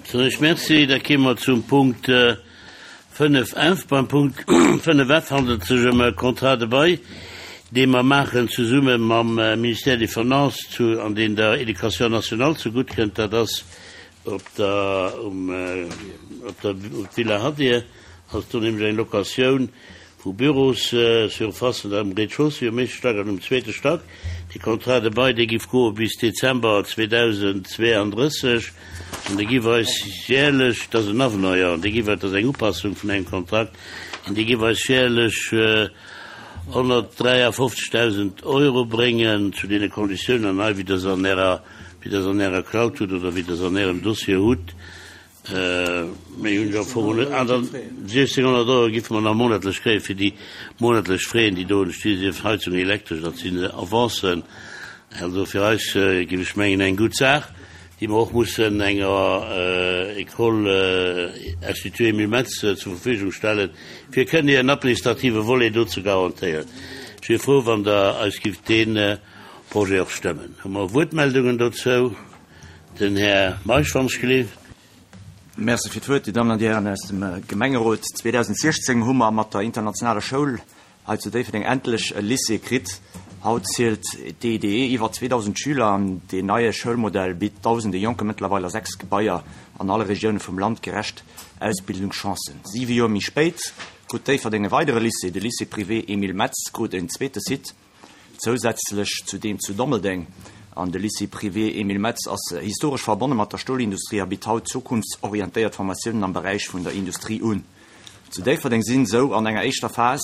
Soen ech Merci. Da kéime mer zum Punkt 5F. Beim Punkt 5F handelt et sech ëm e Contrat de bail, dee mer maachen zesumme mam Ministère des Finances zu, an deen der Éducation nationale zegutt kënnt. Dat ass op der, um, op der Villa Hadir ass do nämlech eng Locatioun vu Bürossurfacen am Rez-de-chaussée um éischte Stack an um zweete Stack. Dee Contrat de bail, dee giff goe bis Dezember 2032 an dee giff eis jährlech, dat ass en Avenant, jo, an dee giff eis, dat ass eng Upassung vun engem Kontrakt, an dee giff eis jährlech 153.000 Euro bréngen zu deene Konditiounen hei, wéi Der se an Ärer, wéi Der se an Ärer Cloud hutt oder wéi Der se an Ärem Dossier hutt. Méi hunn ech am Fong net. An dann 1.600 Euro giffe mer nach monatlech kréie fir déi monatlech Fräen, déi do entsti sinn, Heizung, Elektresch, dat sinn Avancen. Also fir eis, géif ech mengen, eng gutt Saach, déi mer och mussen enger École Institut Emile Metz zur Verfügung stellen, fir kënnen hiren administrative Volet do ze garantéieren. Ech wier frou, wann Der eis gifft dee Projet och stëmmen. Hu mer Wuertmeldungen dozou? Den Här Meisch, wann ech gleef. Merci fir d'Wuert, Dir Dammen an Dir Hären aus dem Gemengerot. 2016 hu mer mat der internationaler Schoul hei zu Déifferdeng endlech e Lycée kritt. Haut zielt d'EIDE iwwer 2.000 Schüler an deen neie Schoulmodell bitt dausende Jonke mëttlerweil a 6 Gebaier an alle Regioune vum Land gerecht Ausbildungschancen. Siwe Joer méi spéit krut Déifferdeng e weidere Lycée, de Lycée privé Emile Metz krut en zweete Site. Zousätzlech zu deem zu Dommeldeng. An de Lycée privé Emile Metz ass historesch verbonne mat der Stolindustrie a bitt haut zukunftsorientéiert Formatiounen am Beräich vun der Industrie un. Zu Déifferdeng sinn esou an enger éischter Phas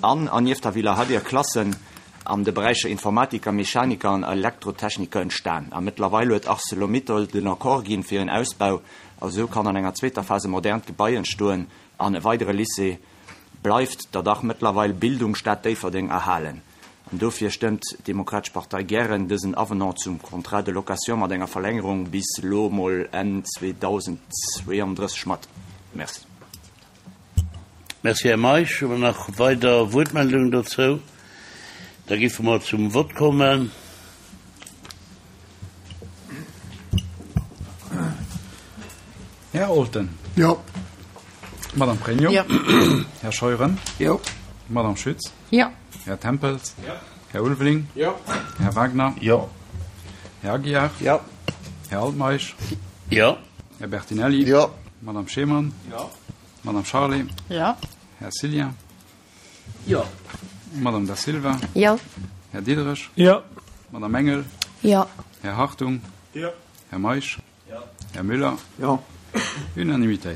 an an nieft der Villa Hadir Klassen an de Beräicher Informatiker, Mechaniker an Elektrotechniker entstan. A mëttlerweil huet Arcelor-Mittal den Accord ginn fir en Ausbau a sou kann an enger zweeter Phas e modernt Gebai entstoen an e weidere Lycée bleift der dach mëttlerweil Bildungsstad Déifferdeng erhalen. An dofir stëmmt d'Demokratesch Partei gären dësen Avenant zum Contrat de location mat enger Verlängerung bis elo mol Enn 2032 mat. Merci. Merci, Här Meisch. Hu mer nach weider Wuertmeldungen dozou? Da giffe mer zum Vott kommen. Här Olten. Jo. Madame Pregno. Jo. Här Scheuren. Jo. Madame Schütz. Jo. Här Tempels. Jo. Här Ulveling. Jo. Här Wagner. Jo. Här Aguiar. Jo. Här Altmeisch. Jo. Här Bertinelli. Jo. Madame Schemann. Jo. Madame Charlé. Jo. Här Cillien. Jo. Madame Da Silva. Jo. Här Diderich. Jo. Madame Engel. Jo. Här Hartung. Jo. Här Meisch. Jo. Här Müller. Jo. Unanimitéit.